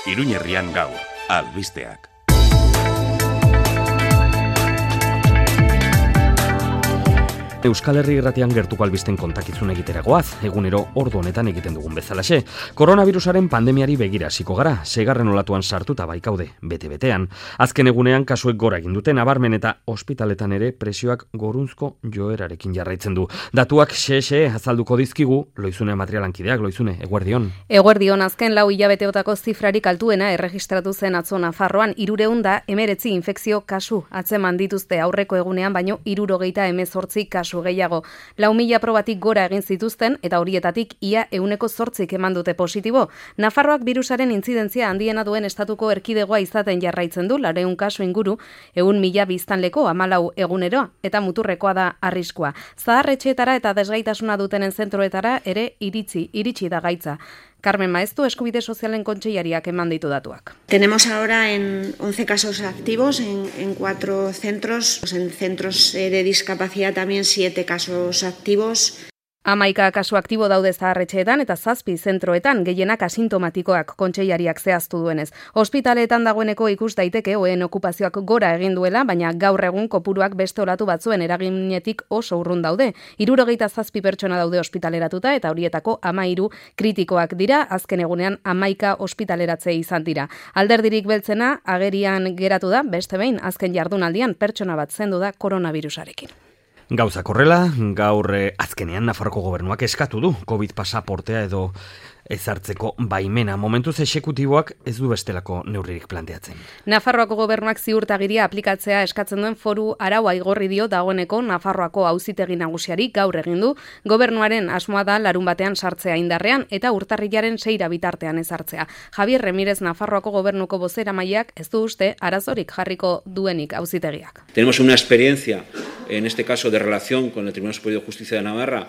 Iruñerrian gaur, albisteak. Euskal Herri Irratian gertuko albisten kontakizun egiteragoaz, egunero ordu honetan egiten dugun bezalaxe. Koronavirusaren pandemiari begira hasiko gara, 6. olatuan sartuta baikaude, bete-betean. Azken egunean kasuek gora egin dute, nabarmen eta ospitaletan ere presioak gorunzko joerarekin jarraitzen du. Datuak xe azalduko dizkigu, Loizune materialankideak, Loizune, eguerdion. Eguerdion, azken 4 hilabeteotako zifrarik altuena erregistratu zen atzo Nafarroan 319 infekzio kasu atzeman dituzte aurreko egunean, baino 78 kasu gehiago. 4.000 probatik gora egin zituzten eta horietatik ia 8% eman dute positibo. Nafarroak birusaren intzidentzia handiena duen estatuko erkidegoa izaten jarraitzen du, 400 kasu inguru, 100.000 biztanleko 14 egunero eta muturrekoa da arriskua. Zaharretxeetara eta desgaitasuna dutenen zentroetara ere iritsi da gaitza. Carmen Maeztu, Eskubide Sozialen Kontseilariak eman ditu datuak. Tenemos ahora en 11 casos activos en 4 centros. En centros de discapacidad también 7 casos activos. 11 kasu aktibo daude zaharretxeetan eta 7 zentroetan, gehienak asintomatikoak, kontseilariak zehaztu duenez. Ospitaleetan dagoeneko ikus daiteke ohen okupazioak gora egin duela, baina gaur egun kopuruak beste olatu batzuen eraginetik oso urrun daude. 77 pertsona daude ospitaleratuta eta horietako 13 kritikoak dira, azken egunean 11 ospitaleratze izan dira. Alderdirik beltzena agerian geratu da, beste behin, azken jardunaldian pertsona bat zendu da koronavirusarekin. Gauzak horrela, gaur azkenean Nafarroko gobernuak eskatu du COVID pasaportea edo ezartzeko baimena. Momentuz exekutiboak ez du bestelako neurririk planteatzen. Nafarroako gobernuak ziurtagiria aplikatzea eskatzen duen foru araua igorri dio dagoeneko Nafarroako auzitegi nagusiari gaur egin du. Gobernuaren asmoa da larunbatean sartzea indarrean eta urtarrilaren 6 bitartean ezartzea. Javier Remirez Nafarroako gobernuko bozeramaileak ez du uste arazorik jarriko duenik auzitegiak. Tenemos una experiencia en este caso de relación con el Tribunal Superior de Justicia de Navarra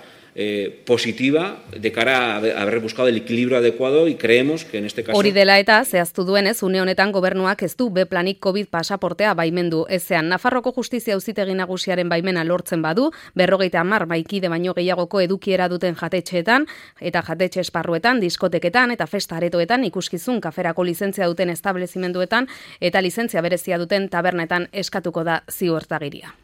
positiva de cara a haber buscado el equilibrio adecuado y creemos que en este caso... Hori dela eta, zehaztu duenez, une honetan gobernuak ez du B-planik COVID pasaportea baimendu ezean. Nafarroko Justizia Auzitegi Nagusiaren baimena lortzen badu, 50 maikide baino gehiagoko edukiera duten jatetxeetan eta jatetxe esparruetan, diskoteketan eta festa aretoetan, ikuskizun kaferako lizentzia duten establezimenduetan eta lizentzia berezia duten tabernetan eskatuko da ziurtagiria.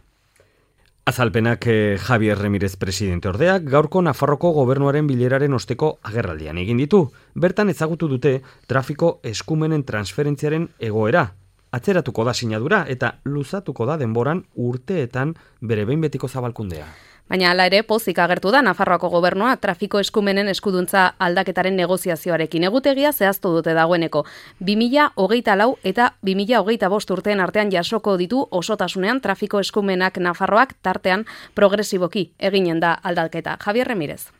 Azalpenak Javier Remirez presidente ordeak gaurko Nafarroko gobernuaren bileraren osteko agerraldian egin ditu. Bertan ezagutu dute trafiko eskumenen transferentziaren egoera. Atzeratuko da sinadura eta luzatuko da denboran urteetan bere behin betiko zabalkundea. Baina hala ere pozik agertu da Nafarroako gobernua trafiko eskumenen eskuduntza aldaketaren negoziazioarekin. Egutegia zehaztu dute dagoeneko. 2024 eta 2025 urteen artean jasoko ditu osotasunean trafiko eskumenak Nafarroak tartean progresiboki eginen da aldaketa. Javier Remirez.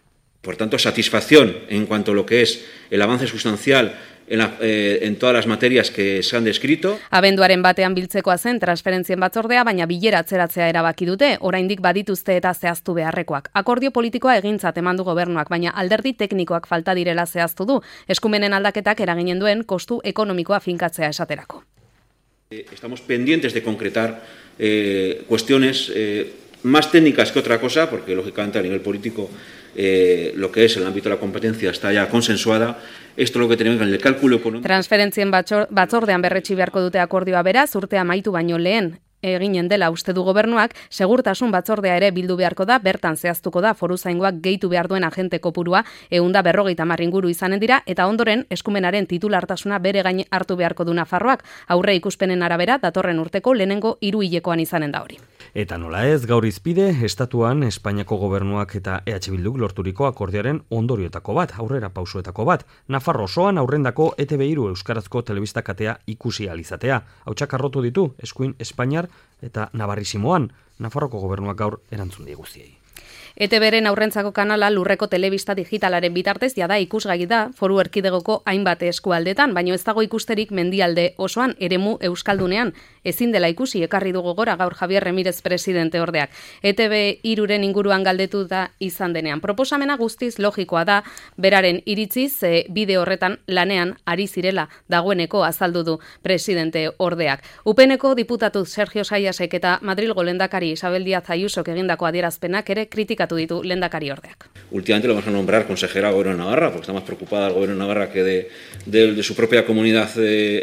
Por tanto, satisfacción en cuanto a lo que es el avance sustancial en todas las materias que se han descrito. Abenduaren batean biltzekoa zen transferentzien batzordea, baina bilera atzeratzea erabaki dute, oraindik badituzte eta zehaztu beharrekoak. Akordio politikoa egintzat eman du gobernuak, baina alderdi teknikoak falta direla zehaztu du, eskumenen aldaketak eraginen duen kostu ekonomikoa finkatzea esaterako. Estamos pendientes de concretar cuestiones más técnicas que otra cosa, porque lógicamente a nivel político lo que es el ámbito de la competencia está ya consensuada. Esto es lo que tenemos en el cálculo económico. Transferentzien batzordean berretsi beharko dute akordioa beraz, urtea amaitu baino lehen eginen dela uste du gobernuak, segurtasun batzordea ere bildu beharko da, bertan zehaztuko da foruzaingoak gehitu behar duen agente kopurua 150 inguru izanen dira, eta ondoren eskumenaren titulartasuna bere gain hartu beharko du Nafarroak, aurre ikuspenen arabera datorren urteko lehenengo 3 hilekoan izanen da hori. Eta nola ez, gaur izpide, estatuan Espainiako gobernuak eta EH Bilduk lorturiko akordioaren ondorioetako bat, aurrera pausuetako bat, Nafarro osoan aurrendako ETV3 euskarazko telebista katea ikusi alizatea. Hautsak arrotu ditu, eskuin Espainiar eta Navarrisimoan, Nafarroko gobernuak gaur erantzun diguztiei. ETB-ren aurrentzako kanala lurreko telebista digitalaren bitartez jada ikusgai da foru erkidegoko hainbat eskualdetan, baino ez dago ikusterik mendialde osoan eremu euskaldunean ezin dela ikusi ekarri du gogora gaur Javier Remirez presidente ordeak. ETB 3-ren inguruan galdetu da izan denean. Proposamena guztiz logikoa da, beraren iritziz bide horretan lanean ari zirela dagoeneko azaldu du presidente ordeak. UPNeko diputatu Sergio Saiasek eta Madrilgo lehendakari Isabel Díaz Ayusok egindako adierazpenak ere kritikatu ditu lehendakari ordeak. Últimamente lo vamos a nombrar consejera al Gobierno de Navarra, porque está más preocupada el Gobierno de Navarra que de su propia comunidad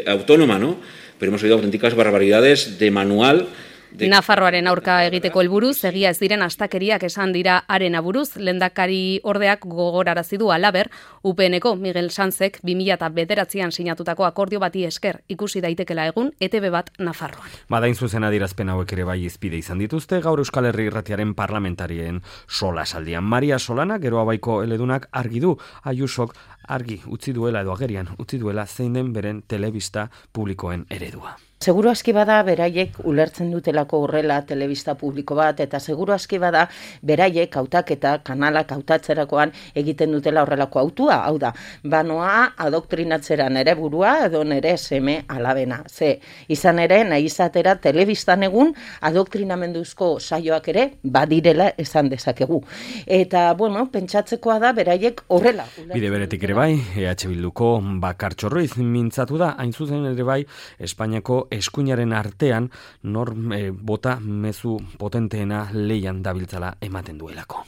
autónoma, ¿no? Pero hemos oído auténticas barbaridades de manual. Nafarroaren aurka egiteko helburuz, egia ez diren astakeriak esan dira haren aburuz, lehendakari ordeak gogorarazi du halaber, UPNeko Miguel Sanzek 2009an sinatutako akordio bati esker ikusi daitekela egun ETB bat Nafarroan. Badain zuzen adierazpen hauek ere bai izpide izan dituzte, gaur Euskal Herri Irratiaren parlamentarien solasaldian. Maria Solana, Geroa Baiko eledunak argi du, Ayusok argi utzi duela edo agerian utzi duela zein den beren telebista publikoen eredua. Seguru aski bada beraiek ulertzen dutelako horrela telebista publiko bat, eta seguru aski bada beraiek hautaketa kanalak hautatzerakoan egiten dutela horrelako hautua. Hau da, banoa adoktrinatzera nere burua edo nere seme alabena. Ze, izan ere, nahi izatera telebistan egun adoktrinamenduzko saioak ere badirela esan dezakegu. Eta, bueno, pentsatzekoa da beraiek horrela. Bide beretik ere bai, EH Bilduko Bakartxo Ruiz mintzatu da, hain zuzen ere bai, Espainiako eskuinaren artean nor bota mezu potenteena leian dabiltzala ematen duelako.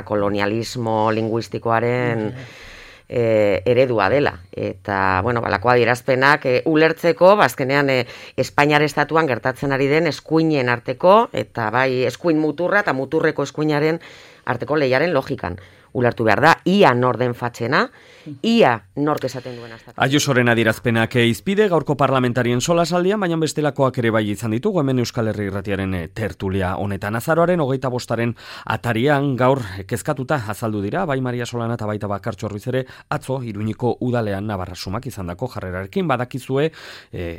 Kolonialismo linguistikoaren eredua dela. Eta, bueno, balako adierazpenak ulertzeko, azkenean Espainiar estatuan gertatzen ari den eskuinen arteko, eta bai eskuin muturra eta muturreko eskuinaren arteko leiaren logikan. Ulertu behar da, ia nor den fatxena, ia nork esaten duen hasta. Ayusoren adierazpenak izpide gaurko parlamentarien solasaldian, baina bestelakoak ere bai izan ditugu, hemen Euskal Herri Irratiaren tertulia honetan. Azaroaren 25. atarian gaur kezkatuta azaldu dira, bai Maria Solana eta baita Bakartxo Ruiz ere, atzo Iruñeko udalean Navarra sumak izandako jarrerarekin. Badakizue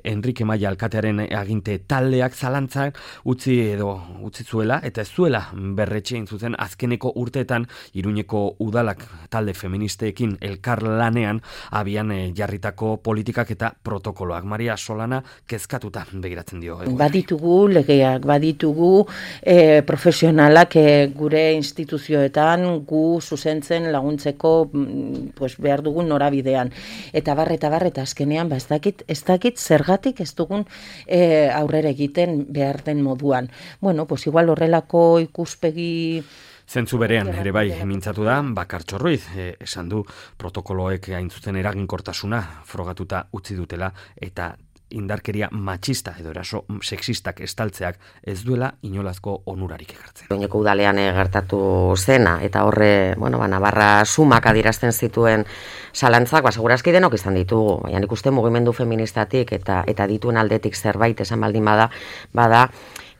Enrique Maia alkatearen aginte taldeak zalantzak utzi zuela, eta ez zuela berretxe zuzen azkeneko urteetan Iruñeko udalak talde feministeekin elkarlanean abian jarritako politikak eta protokoloak. Maria Solana kezkatuta begiratzen dio. Baditugu legeak, baditugu profesionalak gure instituzioetan gu zuzentzen laguntzeko behar dugun norabidean. Eta barreta azkenean ez dakit zergatik ez dugun aurrera egiten behar den moduan. Bueno, igual horrelako ikuspegi Zentzu berean ere bai mintzatu da Bakartxo Ruiz, esan du protokoloek hain zuzen eraginkortasuna frogatuta utzi dutela eta indarkeria matxista edo eraso sexistak estaltzeak ez duela inolazko onurarik ekartzen. Iruñeko udalean gertatu zena eta horre, Navarra sumak adierazten zituen zalantzak, segurazki denok izan ditugu. Baina nik uste mugimendu feministatik eta dituen aldetik zerbait esan baldin bada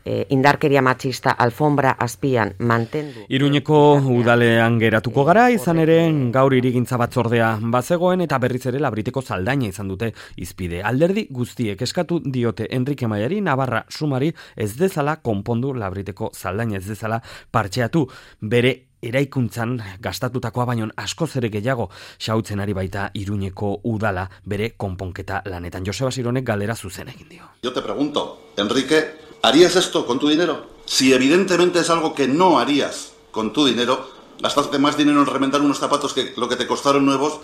indarkeria matxista alfombra azpian mantendu. Iruñeko udalean geratuko gara, izan ere gaur hirigintza batzordea bazegoen eta berriz ere Labriteko zaldaina izan dute izpide. Alderdi guztiek eskatu diote Enrique Maiari Navarra sumari ez dezala konpondu Labriteko zaldaina, ez dezala partxeatu bere eraikuntzan gastatutakoa baino askoz ere gehiago xautzen ari baita Iruñeko udala bere konponketa lanetan. Joseba Sironek galdera zuzen egin dio. Yo te pregunto, Enrique, ¿harías esto con tu dinero? Si evidentemente es algo que no harías con tu dinero, gastaste más dinero en remendar unos zapatos que lo que te costaron nuevos.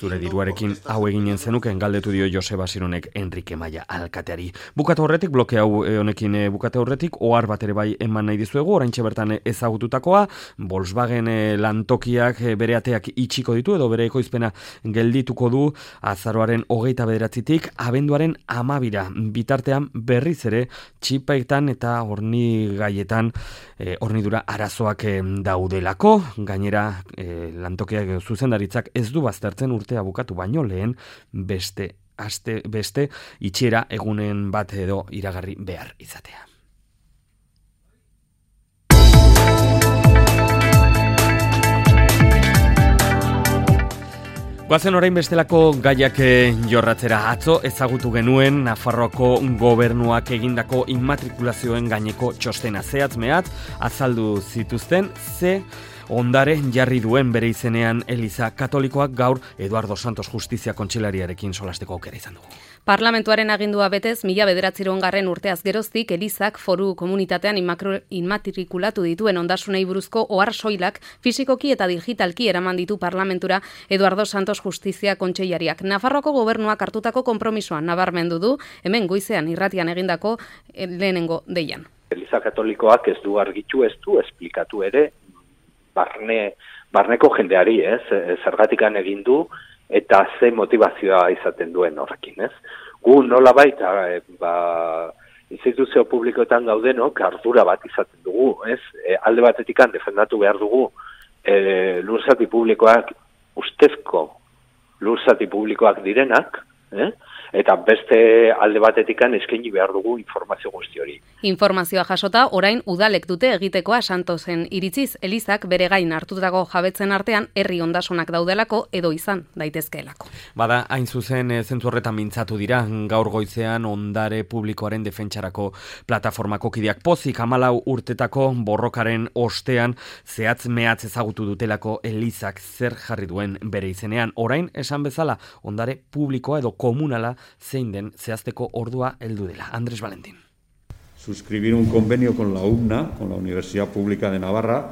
Zure diruarekin hau eginen zenuken galdetu dio Joseba Sironek Enrique Maia alkateari. Bukatu horretik, bloke hau honekin bukatu horretik, ohar bat ere bai eman nahi dizuegu, oraintxe bertan ezagututakoa, Volkswagen lantokiak bere ateak itxiko ditu edo bere ekoizpena geldituko du azaroaren 29tik abenduaren 12 bitartean berriz ere txipetan eta hornigaietan hornidura arazoak daudelako, gainera lantokiak zuzendaritzak ez du baztertzen urtea bukatu baino lehen beste itxiera egunen bat edo iragarri behar izatea. Goazen orain bestelako gaiak jorratzera. Atzo ezagutu genuen Nafarroako gobernuak egindako immatrikulazioen gaineko txostena zehatz mehatz azaldu zituzten ze Ondare jarri duen bere izenean Eliza Katolikoak gaur Eduardo Santos Justizia Kontseilariarekin solasteko aukera izan dugu. Parlamentuaren agindua betez, 1909 urteaz geroztik Elizak foru komunitatean inmatrikulatu dituen ondasunei buruzko ohar soilak fisikoki eta digitalki eraman ditu parlamentura Eduardo Santos Justizia Kontseilariak. Nafarroako gobernuak hartutako konpromisoa nabarmendu du, hemen goizean irratian egindako lehenengo deian. Eliza Katolikoak ez du argitu, ez du esplikatu ere barneko jendeari, zergatikan egin du eta ze motivazioa izaten duen horrekin, ez? Gu nolabait, instituzio publikoetan gaudenok ardura bat izaten dugu, ez? Alde batetikan defendatu behar dugu lurzati publikoak, ustezko lurzati publikoak direnak, eta beste alde batetikan eskaini behar dugu informazio guzti hori. Informazioa jasota, orain udalek dute egitekoa Santosen iritziz, Elizak bere gain hartutako jabetzen artean herri ondasunak daudelako edo izan daitezkeelako. Bada, hain zuzen zentzu horretan mintzatu dira, gaur goizean ondare publikoaren defentsarako plataformako kideak pozik 14 urtetako borrokaren ostean zehatz mehatz ezagutu dutelako Elizak zer jarri duen bere izenean. Orain, esan bezala, ondare publikoa edo komunala zein den zehazteko ordua heldu dela. Andrés Valentín. Suscribir un convenio con la UNA, con la Universidad Pública de Navarra,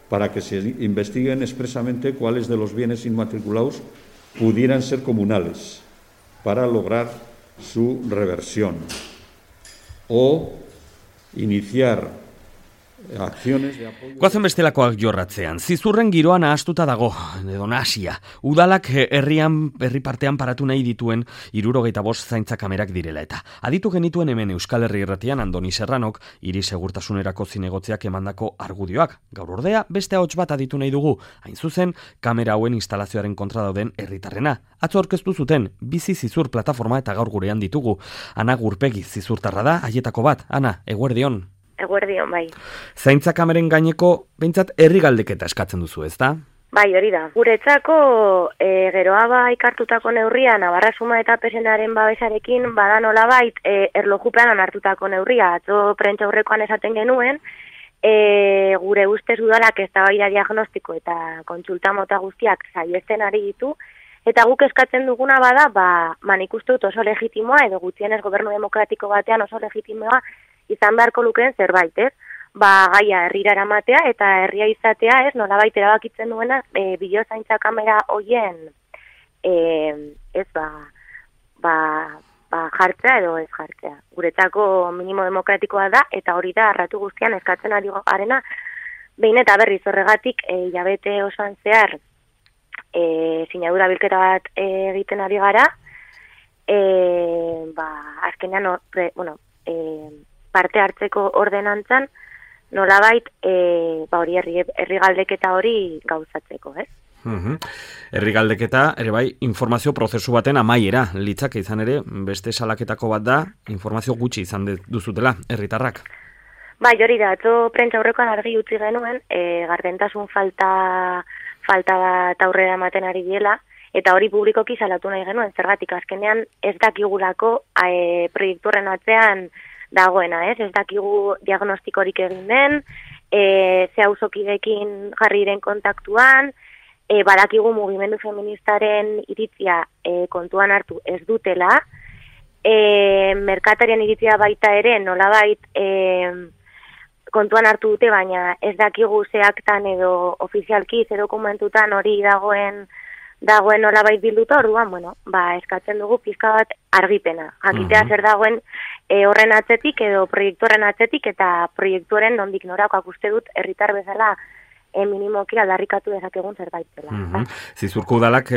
para que se investiguen expresamente cuáles de los bienes inmatriculados pudieran ser comunales, para lograr su reversión. O iniciar acciones de apoyo. Goazen bestelakoak jorratzean, zizurren giroa nahastuta dago, edo nahasia. Udalak herri partean paratu nahi dituen 75 zaintza kamerak direla eta. Aditu genituen hemen Euskal Herri Irratian Andoni Serranok hiri segurtasunerako zinegotziak emandako argudioak. Gaur ordea beste ahots bat aditu nahi dugu, hain zuzen kamera hauen instalazioaren kontra dauden herritarrena. Atzo aurkeztu zuten Bizi Zizur plataforma eta gaur gurean ditugu. Ana Gurpegi zizurtarra da, haietako bat. Ana, eguerdion. Eguerdion, bai. Zaintza kameren gaineko, behintzat, herri galdeketa eskatzen duzu, ezta? Bai, hori da. Guretzako, geroa ikartutako neurria, Navarra Suma eta Pesenaren babesarekin, bada nolabait, erlojupean onartutako neurria. Atzo prentsa aurrekoan esaten genuen, gure ustez udalak eztabaida diagnostiko eta kontsulta mota guztiak saihesten ari ditu, eta guk eskatzen duguna bada, nik uste dut oso legitimoa, edo gutxienez gobernu demokratiko batean oso legitimoa, izan beharko lukeen zerbait, ez? Gaia herrira eramatea eta herria izatea, ez? Nolabait erabakitzen duena bideozaintza kamera hoien jartzea edo ez jartzea. Guretzako minimo demokratikoa da eta hori da arratu guztian eskatzen ari garena. Behin eta berriz horregatik hilabete osoan zehar sinadura bilketa bat egiten ari gara. Azkenean parte hartzeko ordenantzan, nolabait hori herri galdeketa hori gauzatzeko, ez? Herri galdeketa, ere bai, informazio prozesu baten amaiera, litzake izan ere, beste salaketako bat da, informazio gutxi izan duzutela, herritarrak. Bai, hori da, atzo prentsa aurrekoan argi utzi genuen, gardentasun falta bat aurrera ematen ari diela, eta hori publikoki salatu nahi genuen, zergatik azkenean ez dakigulako proiektu horren atzean dagoena, ez dakigu diagnostikorik egin den, ze auzokideekin jarri diren kontaktuan, badakigu mugimendu feministaren iritzia kontuan hartu ez dutela, merkatarien iritzia baita ere nolabait kontuan hartu dute, baina ez dakigu ze aktan edo ofizialki ze dokumentutan hori dagoen nolabait bilduta, orduan, eskatzen dugu pizka bat argipena. Jakitea zer dagoen horren atzetik edo proiektuaren atzetik eta proiektuaren nondik norakoak uste dut herritar bezala minimoki aldarrikatu dezakegun zerbait dela. Zizurko udalak,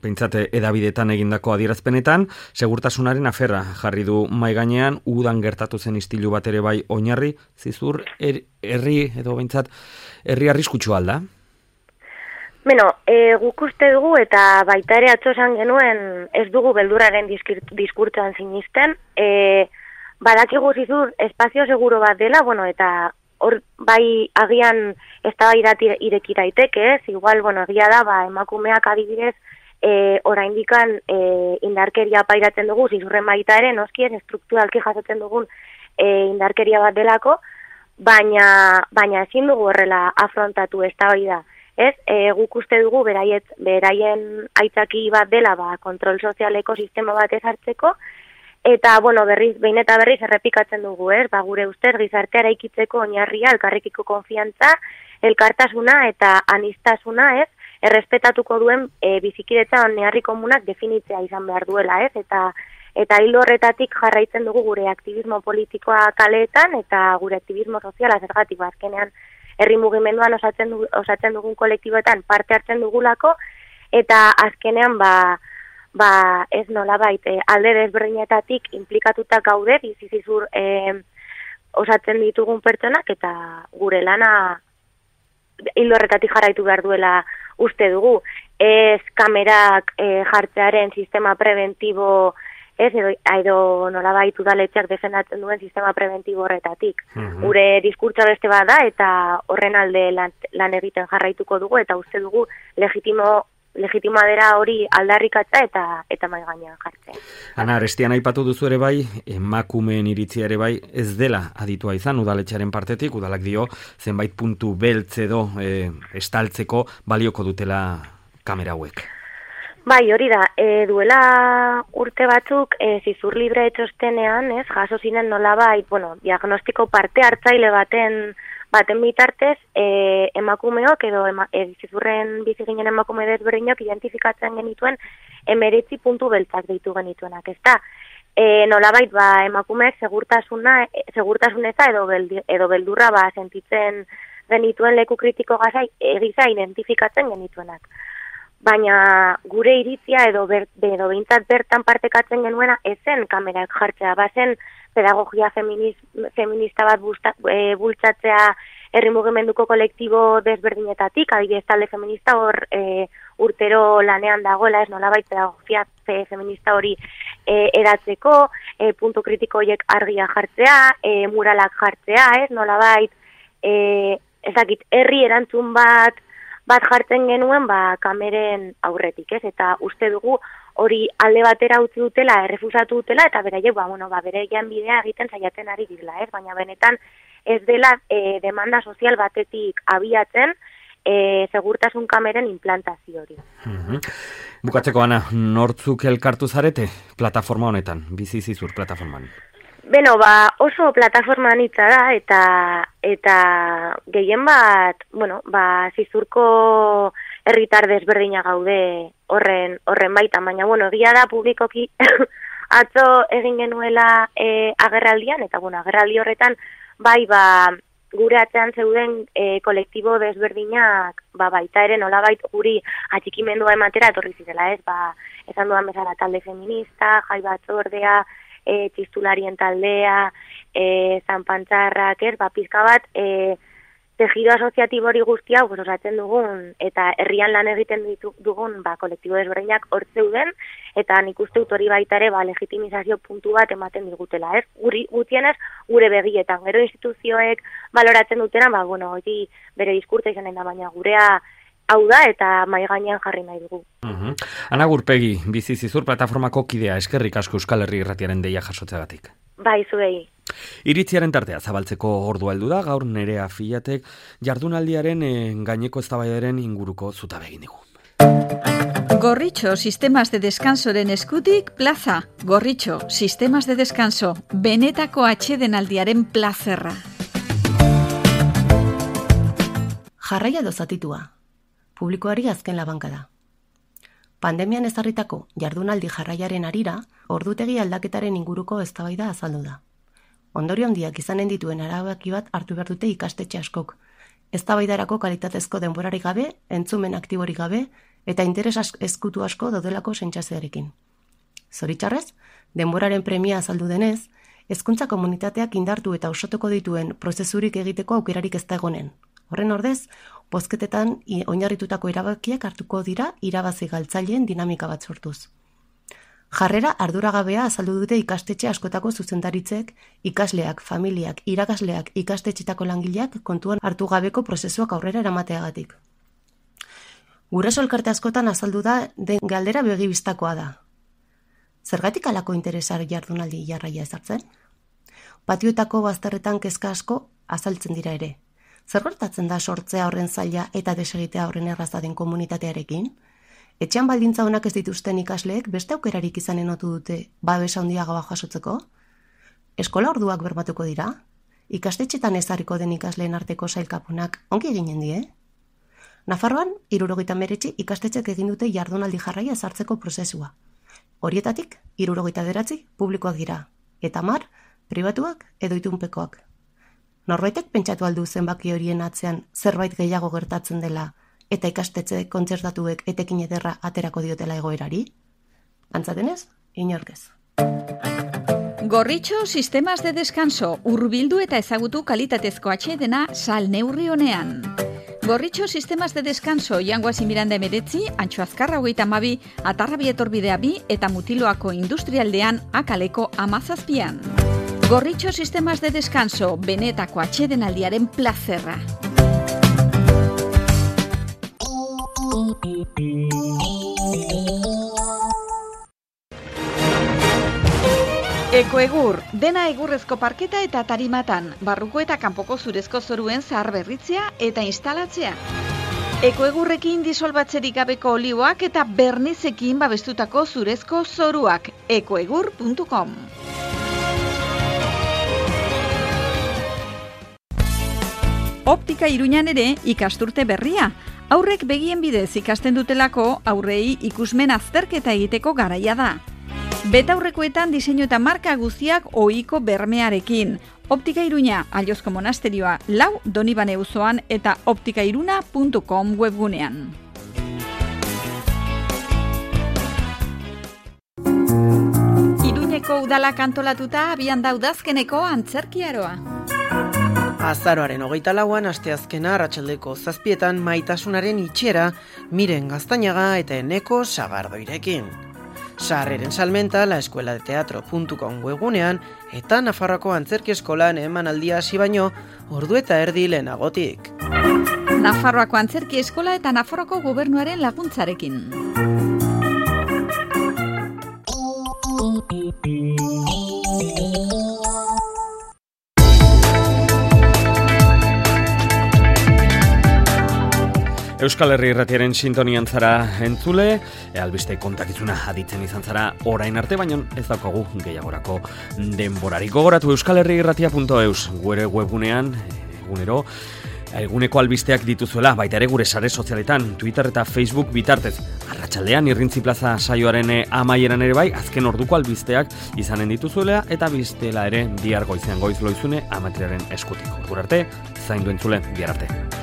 pentsate edabidetan egindako adierazpenetan, segurtasunaren aferra jarri du mai gainean, udan gertatu zen istilu bat ere bai oinarri, zizur herri edo pentsat herri arriskutsua alda? Guk uste dugu eta baita ere atzo esan genuen ez dugu beldurraren diskurtsoan sinisten. Badakigu zizur espazio seguro bat dela, eta hor bai agian eztabaidat ireki daiteke, ez? Igual, egia da, emakumeak adibidez oraindikan indarkeria pairatzen dugu, zizurren baita ere, noski ez estrukturalki jasotzen dugun indarkeria bat delako, baina ezin dugu horrela afrontatu eztabaida. Ez, guk uste dugu beraien aitzaki bat dela kontrol sozialeko sistema bat ezartzeko, eta, behin eta berriz errepikatzen dugu, gure ustez gizartea eraikitzeko oinarria, elkarrekiko konfiantza, elkartasuna eta anistasuna, errespetatuko duen bizikidetza oinarri komunak definitzea izan behar duela, eta hil horretatik jarraitzen dugu gure aktivismo politikoa kaleetan eta gure aktivismo soziala zergatik azkenean herri mugimenduan osatzen dugun kolektiboetan parte hartzen dugulako, eta azkenean ez nolabait alde desberdinetatik inplikatuta gaude bizizizur osatzen ditugun pertsonak, eta gure lana hil horretatik jarraitu behar duela uste dugu. Ez kamerak jartzearen sistema preventibo, edo nolabait udaletxeak defendatzen duen sistema preventibo horretatik. Gure diskurtsoa beste bada, eta horren alde lan egiten jarraituko dugu, eta uste dugu legitimoa dela hori aldarrikatza eta mahai gainean jartzea. Ana, Arestian aipatu duzu ere bai, emakumeen iritzia ere bai, ez dela aditua izan udaletxearen partetik, udalak dio zenbait puntu beltz edo estaltzeko balioko dutela kamera hauek. Bai, hori da, duela urte batzuk zizur libre txostenean, jaso zinen nolabait, diagnostiko parte hartzaile baten bitartez, emakumeok edo zizurren bizi ginen emakume desberdinok identifikatzen genituen 19 puntu beltzak deitu genituenak, ezta? Nolabait, emakumeek segurtasuneza edo beldurra sentitzen genituen leku kritiko gisa identifikatzen genituenak. Baina gure iritzia edo behintzat bertan partekatzen genuena ezen kamerak jartzea, bazen pedagogia feminista bat bultzatzea herri mugimenduko kolektibo desberdinetatik, adibidez talde feminista hor urtero lanean dagoela, ez nolabait pedagogia feminista hori eratzeko, puntu kritiko horiek argia jartzea, muralak jartzea, ez nolabait, ezakit, herri erantzun bat jartzen genuen kameren aurretik, ez? Eta uste dugu hori alde batera utzi dutela, errefusatu dutela, eta beraiek, bereien bidea egiten saiatzen ari direla, ez? Baina benetan ez dela demanda sozial batetik abiatzen segurtasun kameren implantazio hori. Bukatzeko, Ana, nortzuk elkartu zarete plataforma honetan, bizi zizur plataforman? Oso plataforma anitza da, eta gehien bat, zizurko herritar desberdina gaude horren baitan, baina, egia da publikoki atzo egin genuela agerraldian, eta, agerraldi horretan, gure atzean zeuden kolektibo desberdinak, baita ere nolabait guri atxikimendua ematera etorri zirela, ez, esan dudan bezala talde feminista, jai batzordea, txistularien taldea, zanpantzarrak, pizka bat, tejido asoziatibo hori guztia osatzen dugun, eta herrian lan egiten dugun kolektibo desberdinak hor zeuden, eta nik uste dut hori baita ere legitimizazio puntu bat ematen digutela, ez? Gutienez, gure begietan, gero instituzioek baloratzen dutena, hori bere diskurtza izanen da, baina gurea hau da eta mahai gainean jarri nahi dugu. Ana Gurpegi, bizi zizur plataformako kidea, eskerrik asko Euskal Herri Irratiaren deia jasotzeagatik. Bai, zuei. Iritziaren tartea zabaltzeko ordua heldu da, gaur Nerea Filatek jardunaldiaren gaineko eztabaidaren inguruko zutabe egin digu. Gorritxo Sistemas de Descansoren eskutik plaza. Gorritxo Sistemas de Descanso, benetako atsedenaldiaren plazerra. Jarraia dozatitua. Publikoari azken labanka da. Pandemian ezarritako jardunaldi jarraiaren arira, ordutegi aldaketaren inguruko eztabaida azaldu da. Ondorio handiak izanen dituen erabaki bat hartu behar dute ikastetxe askok. Eztabaidarako kalitatezko denborarik gabe, entzumen aktiborik gabe, eta interes ezkutu asko daudelako sentsazioarekin. Zoritxarrez, denboraren premia azaldu denez, hezkuntza komunitateak indartu eta osatuko dituen prozesurik egiteko aukerarik ez da egonen. Horren ordez, bozketetan oinarritutako erabakiak hartuko dira irabazi galtzaileen dinamika bat sortuz. Jarrera arduragabea azaldu dute ikastetxe askotako zuzendaritzek, ikasleak, familiak, irakasleak, ikastetxetako langileak kontuan hartu gabeko prozesuak aurrera eramateagatik. Guraso elkarte askotan azaldu da den galdera begibistakoa da. Zergatik alako interesar jardunaldi jarraia ezartzen? Patioetako bazterretan kezka asko azaltzen dira ere. Zer gertatzen da sortzea horren zaila eta desegitea horren erraza den komunitatearekin? Etxean baldintza onak ez dituzten ikasleek beste aukerarik izanen otu dute babes handiagoa jasotzeko? Eskola orduak bermatuko dira? Ikastetxetan ezarriko den ikasleen arteko sailkapunak ongi eginen die? Nafarroan, 79 ikastetxek egin dute jardunaldi jarraia ezartzeko prozesua. Horietatik, 79 publikoak dira, eta 10 pribatuak edo itunpekoak. Norbaitek pentsatu aldu zenbaki horien atzean zerbait gehiago gertatzen dela eta ikastetxe kontzertatuek etekin ederra aterako diotela egoerari? Antza denez, inork ez. Gorritxo sistemas de descanso, hurbildu eta ezagutu kalitatezko atsedena sal neurri honean. Gorritxo sistemas de descanso, Jangoasi Miranda 19, Antxo Azkarra 32, Atarrabi etorbidea 2 eta Mutiloako industrialdean Akaleko 17. Gorritxo sistemas de descanso, benetako atsedenaldiaren plazerra. Ekoegur, dena egurrezko parketa eta tarimatan, barruko eta kanpoko zurezko zoruen zaharberritzea eta instalatzea. Ekoegurrekin disolbatzerik gabeko olioak eta bernizekin babestutako zurezko zoruak. ekoegur.com. Optika Iruñan ere ikasturte berria. Aurrek begien bidez ikasten dutelako aurrei ikusmen azterketa egiteko garaia da. Betaurrekoetan diseinu eta marka guztiak ohiko bermearekin. Optika Iruña, Aliozko monasterioa 4 Donibane auzoan eta optikairuna.com webgunean. Iruñeko udalak antolatuta abian da udazkeneko antzerkiaroa. Azaroaren 24an asteazkena arratsaldeko 7etan Maitasunaren itxera Miren Gaztañaga eta Eneko Sagardoirekin. Sarreren salmenta laescueladeteatro.com webgunean eta Nafarroako antzerki eskolan emanaldia hasi baino ordu eta erdi lehenagotik. Nafarroako antzerki eskola eta Nafarroako gobernuaren laguntzarekin. Euskal Herri Irratiaren sintonian zara entzule, albiste kontakizuna aditzen izan zara orain arte, baino ez daukagu gehiagorako denborarik. Gogoratu euskalherriirratia.eus, gure webgunean, egunero, eguneko albisteak dituzuela, baita ere gure sare sozialetan, Twitter eta Facebook bitartez. Arratsaldean Irrintzi Plaza saioaren amaieran ere bai, azken orduko albisteak izanen dituzuela, eta biztela ere bihar goizean goiz loizune amatriaren eskutik. Ordu arte, zaindu entzule, bihar arte.